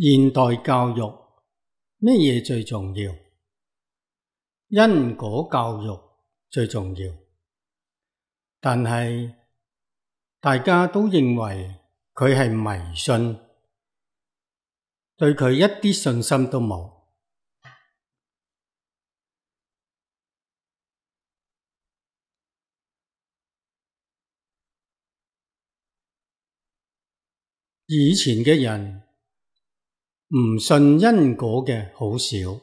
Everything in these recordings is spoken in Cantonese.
現代教育咩嘢最重要？因果教育最重要，但係大家都認為佢係迷信，對佢一啲信心都冇。以前嘅人唔信因果嘅好少，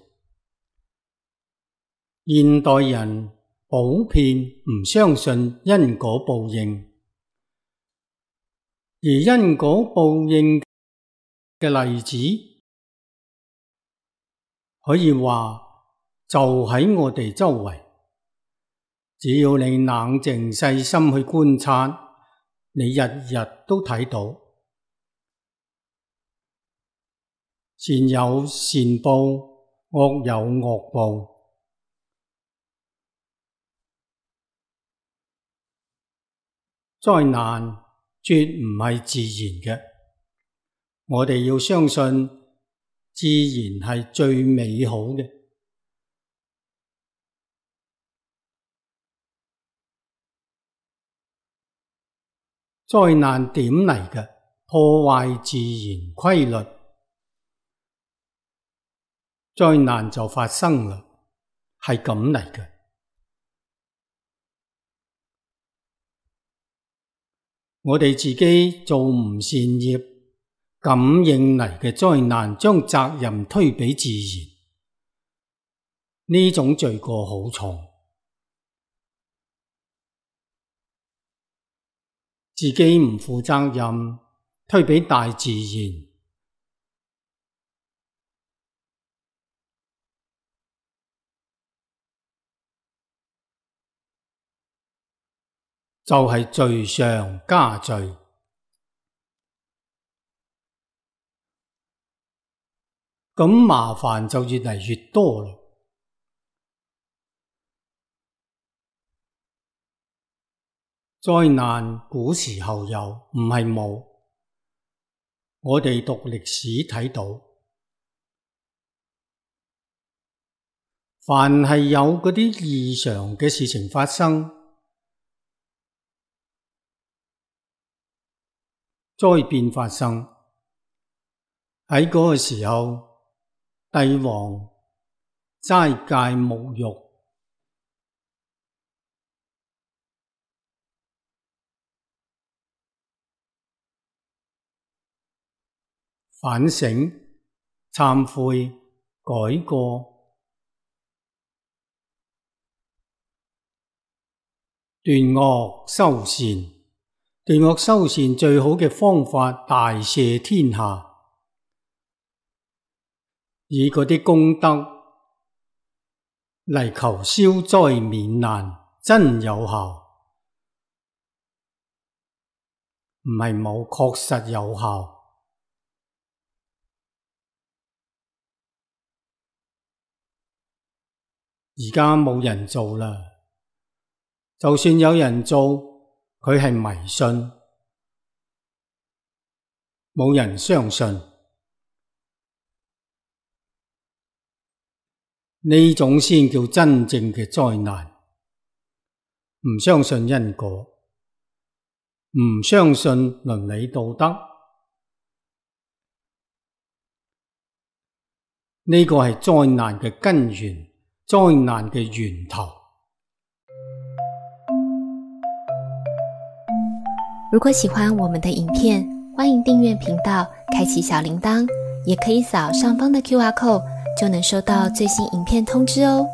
現代人普遍唔相信因果報應，而因果報應嘅例子可以話就喺我哋周圍，只要你冷靜細心去觀察，你日日都睇到。善有善報，惡有惡報。災難絕唔係自然嘅，我哋要相信自然係最美好嘅。災難點嚟嘅？破壞自然規律。災難就發生啦，係咁嚟嘅。我哋自己做唔善業，感應嚟嘅災難，將責任推俾自然，呢種罪過好重。自己唔負責任，推俾大自然，就係罪上加罪，咁麻煩就越嚟越多啦。災難古時候有，唔係冇。我哋讀歷史睇到，凡係有嗰啲異常嘅事情發生，災變發生，喺嗰個時候，帝王齋戒沐浴，反省、懺悔、改過，斷惡修善。斷惡修善最好嘅方法，大赦天下，以嗰啲功德嚟求消災免難，真有效，唔係冇，確實有效。而家冇人做啦，就算有人做，佢係迷信，冇人相信，呢種先叫真正嘅災難。唔相信因果，唔相信倫理道德，呢個係災難嘅根源，災難嘅源頭。如果喜歡我們的影片，歡迎訂閱頻道，開啟小鈴鐺，也可以掃上方的QR code，就能收到最新影片通知哦。